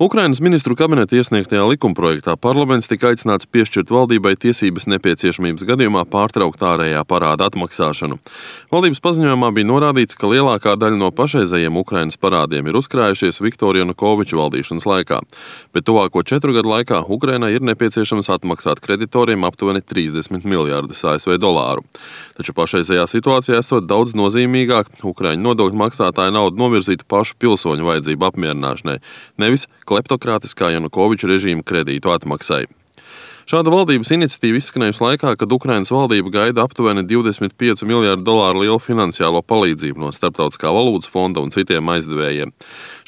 Ukrainas ministru kabineta iesniegtajā likumprojektā parlaments tika aicināts piešķirt valdībai tiesības nepieciešamības gadījumā pārtraukt ārējā parāda atmaksāšanu. Valdības paziņojumā bija norādīts, ka lielākā daļa no pašreizējiem Ukrainas parādiem ir uzkrājušies Viktora Janukoviča valdīšanas laikā, bet tuvāko 4 gadu laikā Ukrainai ir nepieciešams atmaksāt kreditoriem aptuveni 30 miljārdus ASV dolāru. Taču pašreizējā situācijā esot daudz nozīmīgāk Ukraiņu nodokļu maksātāju naudu novirzītu pašu pilsoņu vajadzību apmierināšanai, nevis kleptokrātiskā Janukoviča režīma kredītu atmaksai. Šāda valdības iniciatīva izskanējusi laikā, kad Ukrainas valdība gaida aptuveni 25 miljārdu dolāru lielu finansiālo palīdzību no Starptautiskā valūtas fonda un citiem aizdevējiem.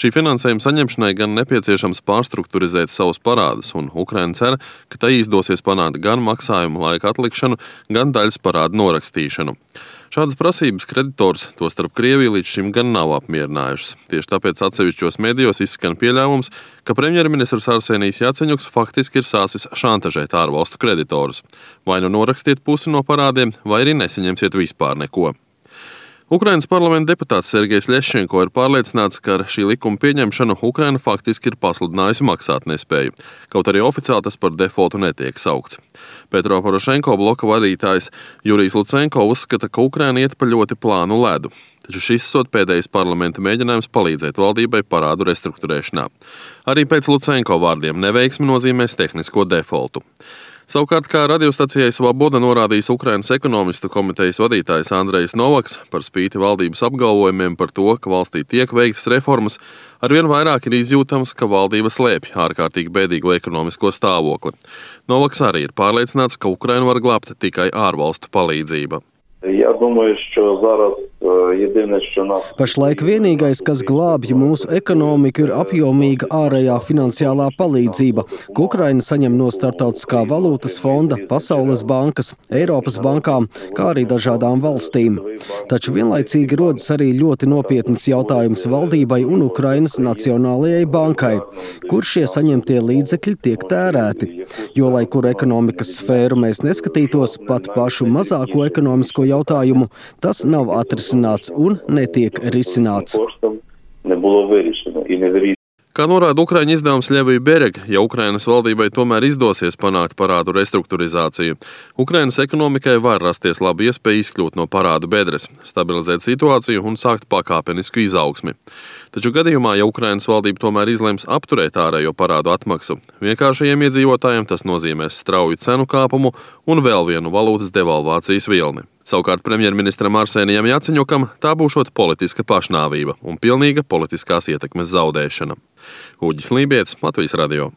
Šī finansējuma saņemšanai gan nepieciešams pārstrukturizēt savus parādus, un Ukraina cer, ka tai izdosies panākt gan maksājumu laika atlikšanu, gan daļas parādu norakstīšanu. Šādas prasības kreditors, tostarp Krievija, līdz šim gan nav apmierinājušas. Tieši tāpēc atsevišķos medijos izskan pieļāvums, ka premjerministrs Arsenijs Jaceņuks faktiski ir sācis šantažēt ārvalstu kreditorus. Vai nu norakstiet pusi no parādiem, vai arī nesaņemsiet vispār neko. Ukrainas parlamenta deputāts Sergejs Ļeščenko ir pārliecināts, ka ar šī likuma pieņemšanu Ukraina faktiski ir pasludinājusi maksātnespēju, kaut arī oficiāli tas par defoltu netiek saukts. Petro Porošenko bloka vadītājs Jurijs Lucenko uzskata, ka Ukraina iet pa ļoti plānu ledu, taču šis sot pēdējais parlamenta mēģinājums palīdzēt valdībai parādu restruktūrēšanā. Arī pēc Lucenko vārdiem neveiksmi nozīmēs tehnisko defoltu. Savukārt, kā radiostacijai Svaboda norādījis Ukrainas ekonomistu komitejas vadītājs Andrejs Novaks, par spīti valdības apgalvojumiem par to, ka valstī tiek veiktas reformas, arvien vairāk ir izjūtams, ka valdība slēpj ārkārtīgi bēdīgo ekonomisko stāvokli. Novaks arī ir pārliecināts, ka Ukrainu var glābt tikai ārvalstu palīdzība. Pašlaik vienīgais, kas glābj mūsu ekonomiku, ir apjomīga ārējā finansiālā palīdzība, ko Ukraina saņem no Starptautiskā valūtas fonda, Pasaules bankas, Eiropas bankām, kā arī dažādām valstīm. Taču vienlaicīgi rodas arī ļoti nopietns jautājums valdībai un Ukrainas Nacionālajai bankai, kur šie saņemtie līdzekļi tiek tērēti. Jo, lai kur ekonomikas sfēru mēs neskatītos, pat pašu mazāko ekonomisko jautājumu, tas nav atrisināts un netiek risināts. Kā norāda Ukraiņu izdevums Ļevija Berega, ja Ukrainas valdībai tomēr izdosies panākt parādu restruktūrizāciju, Ukrainas ekonomikai var rasties laba iespēja izkļūt no parādu bedres, stabilizēt situāciju un sākt pakāpenisku izaugsmi. Taču gadījumā, ja Ukrainas valdība tomēr izlems apturēt ārējo parādu atmaksu, vienkāršajiem iedzīvotājiem tas nozīmēs strauju cenu kāpumu un vēl vienu valūtas devalvācijas vilni. Savukārt premjerministram Arsenijam Jaceņukam tā būšot politiska pašnāvība un pilnīga politiskās ietekmes zaudēšana. Uģis Lībietis, Latvijas radio.